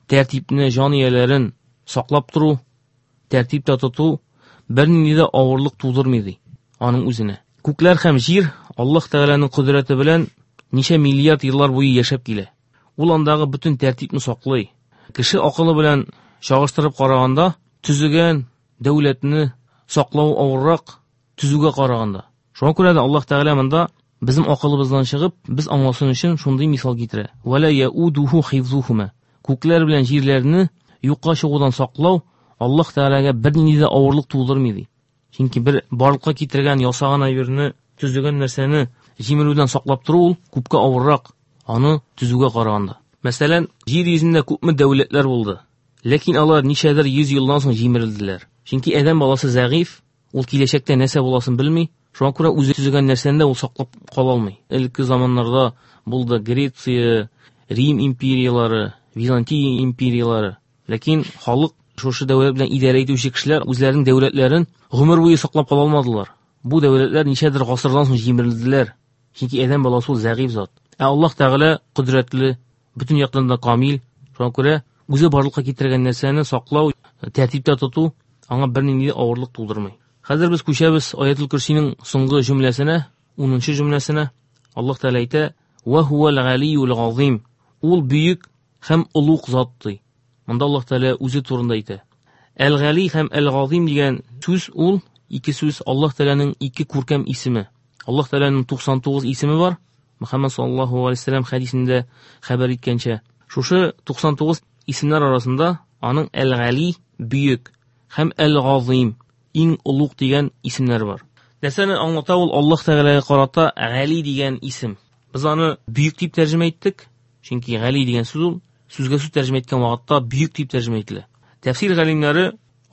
тәртипне, җан ияләрен саклап тору, тәртиптә тоту бернинди дә авырлык тудырмый ди аның үзенә. Күкләр һәм җир Аллаһ Тәгаләнең кодрәте белән ничә миллиард еллар буе яшәп килә. Ул андагы бөтен тәртипне саклый. Кеше акылы белән чагыштырып караганда, төзегән дәүләтне саклау авыррак төзүгә караганда. Шуңа күрә дә Аллаһ Тәгалә монда безнең акылыбыздан чыгып, без аңласын өчен шундый мисал китерә. Ва ла яудуху хифзухума. Күкләр белән җирләрне юкка чыгудан саклау Аллаһ Тәгаләгә бернинди дә авырлык тудырмый ди. Чөнки бер барлыкка китергән, ясаган әйберне, төзегән нәрсәне җимерүдән саклап тору ул күпкә авыррак аны төзүгә караганда. Мәсәлән, җир йөзендә күпме дәүләтләр булды. Ләкин алар ничәдер йөз елдан соң җимерелделәр. Чөнки адәм баласы зәгыйф, ул киләчәктә нәрсә буласын белми. Шуңа күрә үзе төзегән нәрсәне дә ул саклап кала алмый. Элекке заманнарда булды Греция, Рим империялары, Византия империялары. Ләкин халык шушы дәүләт белән идарә итүче кешеләр үзләренең дәүләтләрен гомер буе саклап кала алмадылар. Бу дәүләтләр ничәдер гасырдан соң җимерелделәр. Чөнки адәм баласы ул зәгыйф зат. Ә Аллаһ Тәгалә кодрәтле, бөтен яктан да камил. Шуңа күрә үзе барлыкка китергән нәрсәне саклау, тәртиптә тоту аңа бернинди авырлык тудырмый. Хәзер без күчәбез Аятул Көрсинең соңгы җөмләсенә, унынчы җөмләсенә. Аллаһ Тәгалә әйтә: "Ва хуал галиюл газим". Ул бөек һәм олуг зат ди. Монда Аллаһ Тәгалә үзе турында әйтә. Әл-Гали һәм Әл-Газим дигән сүз ул ике сүз Аллаһ Тәгаләнең ике күркәм исеме. Аллаһ Тәгаләнең туксан тугыз исеме бар. Мөхәммәд саллаллаһу алейһи ва сәлләм хәдисендә хәбәр иткәнчә, шушы туксан тугыз исемнәр арасында аның Әл-Гали бөек һәм Әл-Газим иң олуг дигән исемнәр бар. Нәрсәне аңлата ул Аллаһ Тәгаләгә карата Гали дигән исем? Без аны бөек дип тәрҗемә иттек, чөнки Гали дигән сүз ул сүзгә сүз тәрҗемә иткән вакытта бөек дип тәрҗемә ителә. Тәфсир галимнәре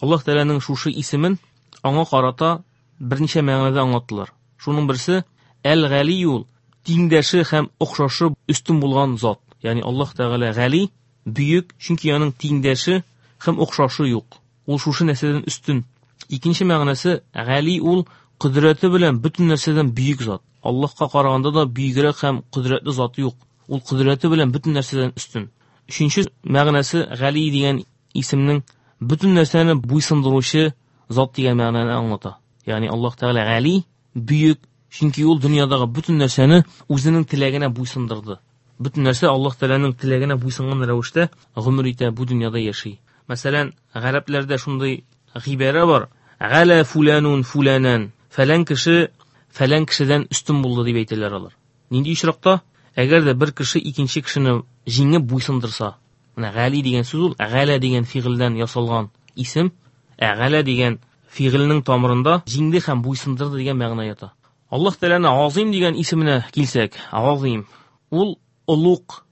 Аллаһ Тәгаләнең шушы исемен аңа карата берничә мәгънәдә аңлаттылар. Шуның берсе Әл-Гали ул тиңдәше һәм охшашы өстен булган зат. Ягъни Аллаһ Тәгалә Гали бөек, чөнки аның тиңдәше һәм охшашы юк. Ул шушы нәрсәдән өстен. Икенче мәгънәсе Гали ул кодрәте белән бөтен нәрсәдән бөек зат. Аллаһка караганда да бөегрәк һәм кодрәтле заты юк. Ул кодрәте белән бөтен нәрсәдән өстен. Өченче мәгънәсе Гали дигән исемнең бөтен нәрсәне буйсындыручы зат дигән мәгънәне аңлата. Ягъни Аллаһ Тәгалә Гали бөек, чөнки ул дөньядагы бөтен нәрсәне үзенең теләгенә буйсындырды. Бөтен нәрсә Аллаһ Тәгаләнең теләгенә буйсынган рәвештә гомер итә, бу дөньяда яши. Мәсәлән, гарәпләрдә шундый гыйбарә бар: Галя фуланун фуланан. Фәлән кеше фәлән кешедән өстен булды дип әйтәләр алар. Нинди очракта? Әгәр дә бер кеше икенче кешене җиңеп буйсындырса. Менә гали дигән сүз ул галя дигән фигыльдән ясалган исем. Ә галя дигән фигыльнең тамырында җиңде һәм буйсындырды дигән мәгънә ята. Аллаһ Тәгаләнең Азим дигән исеменә килсәк, Азим ул олуг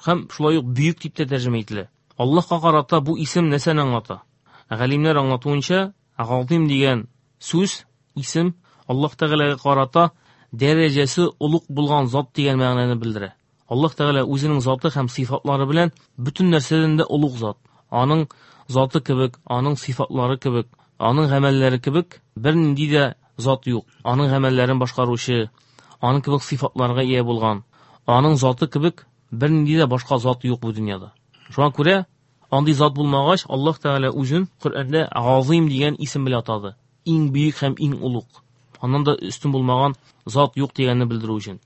һәм шулай ук бөек дип тә тәрҗемә ителә. Аллаһка карата бу исем нәрсәне аңлата? Галимнәр аңлатуынча, Азим дигән сүз, исем Аллаһ Тәгаләгә карата дәрәҗәсе олуг булган зат дигән мәгънәне белдерә. Аллаһ Тәгалә үзенең заты һәм сыйфатлары белән бөтен нәрсәдән дә олуг зат. Аның заты кебек, аның сыйфатлары кебек, Аның гамәлләре кебек бернинди дә зат юк. Аның гамәлләрен башкаручы, аның кебек сыйфатларга ия булган, аның заты кебек бернинди дә башка зат юк бу дөньяда. Шуңа күрә андый зат булмагач, Аллаһ Тәгалә үзен Коръәндә Азим дигән исем белән атады. Иң бөек һәм иң олуг. Аннан да өстен булмаган зат юк дигәнне белдерү өчен.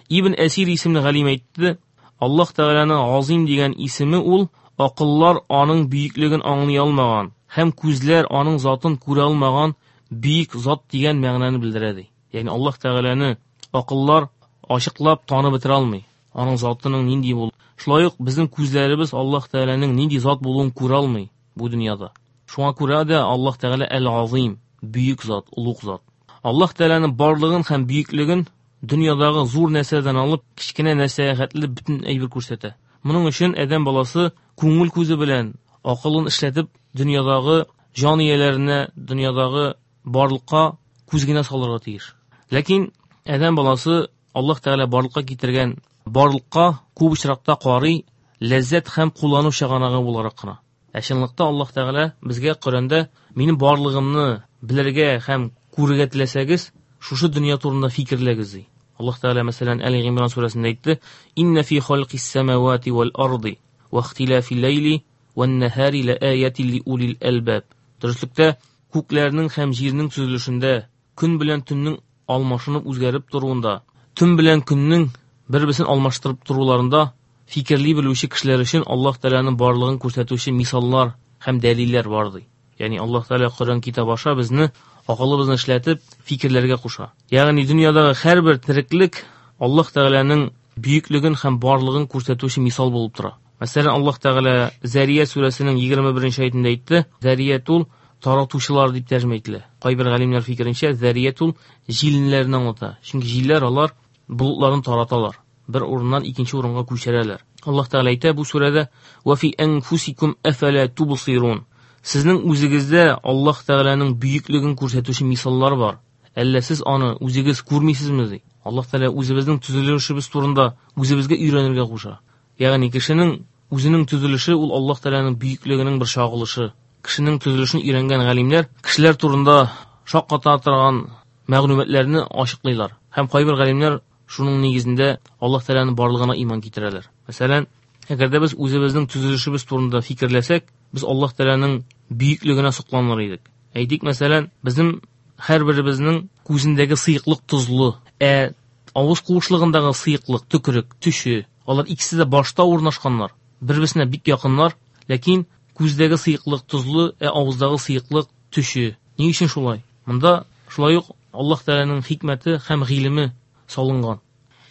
Ибн Әсир исемле галим әйтте, Аллаһ Тәгаләнең Азим дигән исеме ул акыллар аның бөеклеген аңлый алмаган һәм күзләр аның затын күрә алмаган бөек зат дигән мәгънәне белдерә ди. Ягъни Аллаһ Тәгаләне акыллар ачыклап танып бетерә алмый. Аның затының нинди булуын. Шулай ук безнең күзләребез Аллаһ Тәгаләнең нинди зат булуын күрә алмый бу дөньяда. Шуңа күрә дә Аллаһ Тәгалә Әл-Азим, бөек зат, олуг зат. Аллаһ Тәгаләнең барлыгын һәм бөеклеген дөньядагы зур нәрсәдән алып кечкенә нәрсәгә хәтле бөтен әйбер күрсәтә. Моның өчен адәм баласы күңел күзе белән акылын эшләтеп дөньядагы җан ияләренә, дөньядагы барлыкка күз генә салырга тиеш. Ләкин адәм баласы Аллаһ Тәгалә барлыкка китергән барлыкка күп очракта карый ләззәт һәм куллану чыганагы буларак кына. Ә чынлыкта Аллаһ Тәгалә безгә Коръәндә минем барлыгымны белергә һәм күрергә теләсәгез, шушы дөнья турында фикерләгез ди. Аллаһ Тәгалә мәсәлән Әл-Гимран сүрәсендә әйтте: "Инна фи халқис самавати вал арди ва ихтилафил ләйли ван наһари лааятин ли улил албаб." Дөреслектә күкләрнең һәм җирнең төзелешендә, көн белән төннең алмашынып үзгәреп торуында, төн белән көннең бер-берсен алмаштырып торуларында фикерли белүче кешеләр өчен Аллаһ Тәгаләнең барлыгын күрсәтүче мисаллар һәм дәлилләр бар ди. Ягъни Аллаһ Тәгалә Коръән китабы аша безне акылыбызны эшләтеп фикерләргә куша. Ягъни дөньядагы һәрбер тереклек Аллаһ Тәгаләнең бөеклеген һәм барлыгын күрсәтүче мисал булып тора. Мәсәлән, Аллаһ Тәгалә Зәрия сүрәсенең егерме беренче аятында әйтте: "Зәрият ул таратучылар дип тәрҗемә ителә." Кайбер галимнәр фикеренчә, зәрият ул җилләрне аңлата. Чөнки җилләр алар болытларын тараталар, бер урыннан икенче урынга күчерәләр. Аллаһ Тәгалә әйтә бу сүрәдә: "Ва фи анфусикум афала тубсирун." Сезнең үзегездә Аллаһ Тәгаләнең бөеклеген күрсәтүче мисаллар бар. Әллә сез аны үзегез күрмисезме ди? Аллаһ Тәгалә үзебезнең төзелешебез турында үзебезгә өйрәнергә куша. Ягъни кешенең үзенең төзелеше ул Аллаһ Тәгаләнең бөеклегенең бер чагылышы. Кешенең төзелешен өйрәнгән галимнәр кешеләр турында шакката торган мәгълүматларны ачыклыйлар. Һәм кайбер галимнәр шуның нигезендә Аллаһ Тәгаләнең барлыгына иман китерәләр. Мәсәлән, әгәр дә без үзебезнең төзелешебез турында фикерләсәк, без Аллаһ Тәгаләнең бөеклегенә сокланыр идек. Әйтик, мәсәлән, безнең һәрберебезнең күзендәге сыеклык тозлы, ә авыз куышлыгындагы сыеклык төкерек, төче. Алар икесе дә башта урнашканнар, бер-берсенә бик якыннар, ләкин күздәге сыеклык тозлы, ә авыздагы сыеклык төче. Ни өчен шулай? Монда шулай ук Аллаһ Тәгаләнең хикмәте һәм гыйлеме салынган.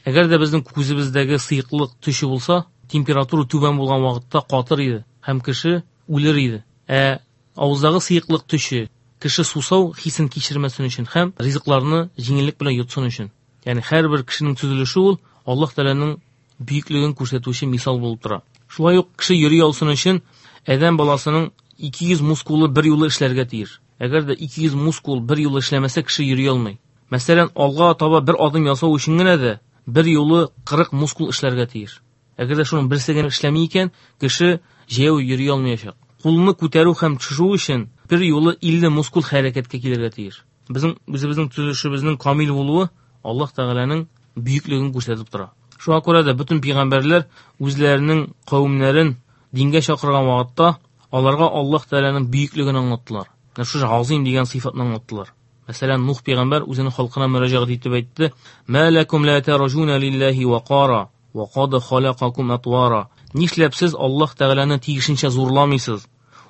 Әгәр дә безнең күзебездәге сыеклык төче булса, температура түбән булган вакытта катыр иде һәм кеше үлер иде. Ә авыздагы сыеклык төче, кеше сусау хисен кичермәсен өчен һәм ризыкларны җиңеллек белән йотсын өчен. Ягъни һәрбер кешенең төзелеше ул Аллаһ Тәгаләнең бөеклеген күрсәтүче мисал булып тора. Шулай ук кеше йөри алсын өчен адәм баласының ике йөз мускулы бер юлы эшләргә тиеш. Әгәр дә ике йөз мускул бер юлы эшләмәсә, кеше йөри алмый. Мәсәлән, алга таба бер адым ясау өчен генә дә бер юлы кырык мускул эшләргә тиеш. Әгәр дә шуның берсе генә эшләми икән, кеше җәяү йөри алмаячак. Кулны күтәрү һәм төшерү өчен бер юлы илле мускул хәрәкәткә килергә тиеш. Безнең үзебезнең төзелешебезнең камил булуы Аллаһ Тәгаләнең бөеклеген күрсәтеп тора. Шуңа күрә дә бөтен пәйгамбәрләр үзләренең кавемнәрен дингә чакырган вакытта аларга Аллаһ Тәгаләнең бөеклеген аңлаттылар. Менә шушы Азим дигән сыйфатны аңлаттылар. Мәсәлән, Нух пәйгамбәр үзенең халкына мөрәҗәгать итеп әйтте: "Ма лакум ла таржуна лиллаһи вақара ва кад халакакум атвара." Нишләп сез Аллаһ Тәгаләне тиешенчә зурламыйсыз?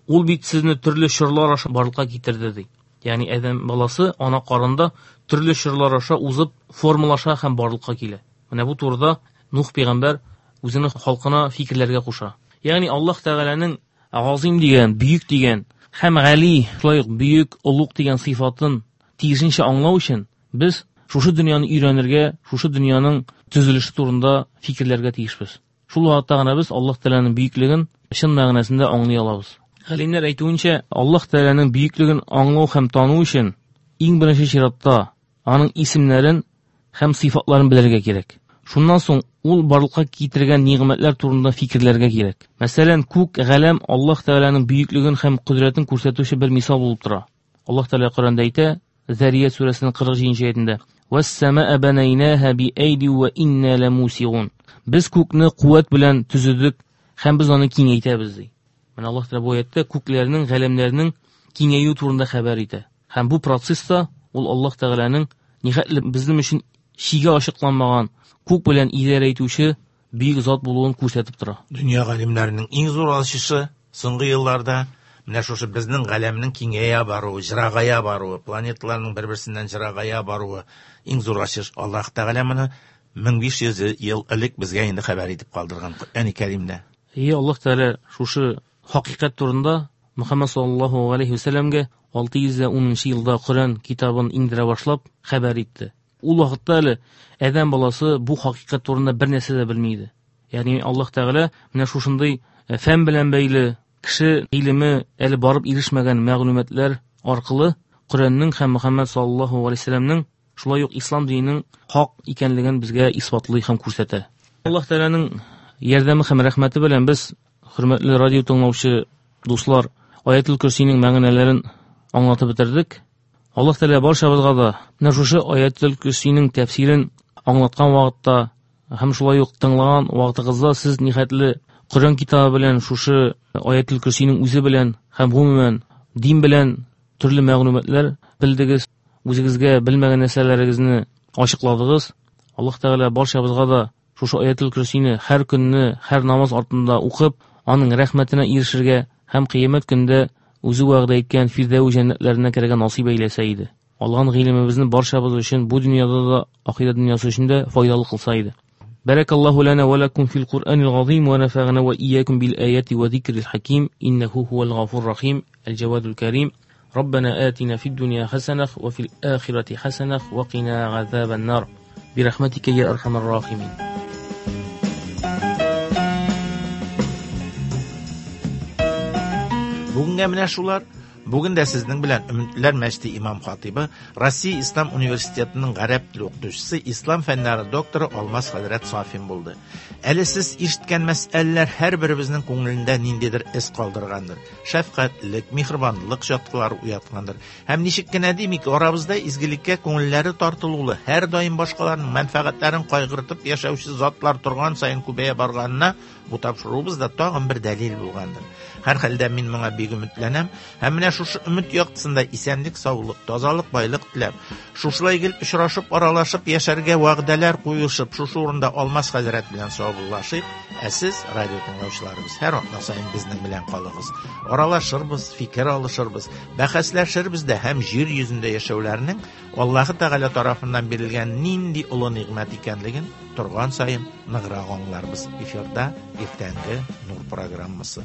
Ул бит сезне төрле чорлар аша барлыкка китерде ди. Ягъни адәм баласы ана карында төрле чорлар аша узып формалаша һәм барлыкка килә. Менә бу турыда Нух пәйгамбәр үзенең халкына фикерләргә куша. Ягъни Аллаһ Тәгаләнең Азим дигән, бөек дигән һәм Гали, шулай ук бөек, олуг дигән сыйфатын тиешенчә аңлау өчен без шушы дөньяны өйрәнергә, шушы дөньяның төзелеше турында фикерләргә тиешбез. Шул вакытта гына без Аллаһ Тәгаләнең бөеклеген чын мәгънәсендә аңлый алабыз. Галимнәр әйтүенчә, Аллаһ Тәгаләнең бөеклеген аңлау һәм тану өчен иң беренче чиратта аның исемнәрен һәм сыйфатларын белергә кирәк. Шуннан соң ул барлыкка китергән нигъмәтләр турында фикерләргә кирәк. Мәсәлән, күк, галәм Аллаһ Тәгаләнең бөеклеген һәм кодрәтен күрсәтүче бер мисал булып тора. Аллаһ Тәгалә Коръәндә әйтә, Зарият сүрәсенең кырык җиденче аятендә: "Вәс-самаа банайнаһа би-айди ва инна ламусиун". Без күкне куәт белән төзедек һәм без аны киңәйтәбез, ди. Менә Аллаһ Тәгалә бу аятта күкләрнең, галәмнәрнең киңәюе турында хәбәр итә. Һәм бу процесста ул Аллаһ Тәгаләнең нихәтле безнең өчен чиге ачыкланмаган күк белән идарә итүче бөек зат булуын күрсәтеп тора. Дөнья галимнәренең иң зур ачышы соңгы елларда менә шушы безнең галәмнең киңәя баруы, җырагая баруы, планеталарның бер-берсеннән җырагая баруы иң зур ачыш. Аллаһ Тәгалә моны мең биш йөз ел элек безгә инде хәбәр итеп калдырган Коръәни Кәримдә. И Аллаһ Тәгалә шушы хакыйкать турында Мөхәммәд саллаллаһу алейхи ва сәлләмгә алты йөз унынчы елда Коръән китабын иңдерә башлап хәбәр итте. Ул вакытта әле адәм баласы бу хакыйкать турында бер нәрсә дә белми иде. Ягъни Аллаһ Тәгалә менә шушындый фән белән бәйле кеше гыйлеме әле барып ирешмәгән мәгълүматлар аркылы Коръәннең һәм Мөхәммәд саллаллаһу алейхи ва сәлләмнең шулай ук ислам диненең хак икәнлеген безгә исбатлый һәм күрсәтә. Аллаһ Тәгаләнең ярдәме һәм рәхмәте белән без, хөрмәтле радио тыңлаучы дуслар, Аятул Көрсинең мәгънәләрен аңлатып бетердек. Аллаһ Тәгалә барчабызга да менә шушы Аятул Көрсинең тәфсирен аңлаткан вакытта һәм шулай ук тыңлаган вакытыгызда сез нихәтле Коръән китабы белән шушы Аятул Көрсинең үзе белән һәм гомумән дин белән төрле мәгълүматлар белдегез, үзегезгә белмәгән нәрсәләрегезне ачыкладыгыз. Аллаһ Тәгалә барчабызга да шушы Аятул Көрсине һәр көнне, һәр намаз артында укып, аның рәхмәтенә ирешергә һәм кыямәт көндә үзе вәгъдә иткән Фирдәүс җәннәтләренә керергә насыйп әйләсә иде. Алган гыйлемебезне барчабыз өчен бу дөньяда да, ахирәт дөньясы өчен дә файдалы кылса иде. Баракаллаһу лана ва лакум фил Куръанил газим ва нафагана ва ийякум бил аяти ва зикрил хаким иннаху хувал гафур рахим аль джавадул карим. ربنا آتنا في الدنيا حسنة وفي الآخرة حسنة وقنا عذاب النار برحمتك يا أرحم الراحمين. Бүгенгә менә шулар. Бүген дә сезнең белән Өметләр мәчете имам хатибы, Россия Ислам университетының гарәп теле укытучысы, ислам фәннәре докторы Алмаз хәзрәт Сафин булды. Әле сез ишеткән мәсьәләләр һәрберебезнең күңелендә ниндидер эз калдыргандыр. Шәфкатьлек, миһербанлык чаткылары уяткандыр. Һәм ничек кенә димик, арабызда изгелеккә күңелләре тартылулы, һәр даим башкаларның мәнфәгатьләрен кайгыртып яшәүче затлар торган саен күбәя барганына бу тапшыруыбыз да тагын бер дәлил булгандыр. Һәр хәлдә мин моңа бик өметләнәм. Һәм менә шушы өмет яктысында исәнлек, саулык, тазалык, байлык теләп, шушылай гел очрашып, аралашып яшәргә вәгъдәләр куешып, шушы урында Алмаз хәзрәт белән саубуллашыйк. Ә сез, радио тыңлаучыларыбыз, һәр атна саен безнең белән калыгыз. Аралашырбыз, фикер алышырбыз, бәхәсләшербез дә һәм җир йөзендә яшәүләрнең Аллаһы Тәгалә тарафыннан бирелгән нинди олы нигъмәт икәнлеген торган саен ныграк аңларбыз. Эфирда иртәнге Нур программасы.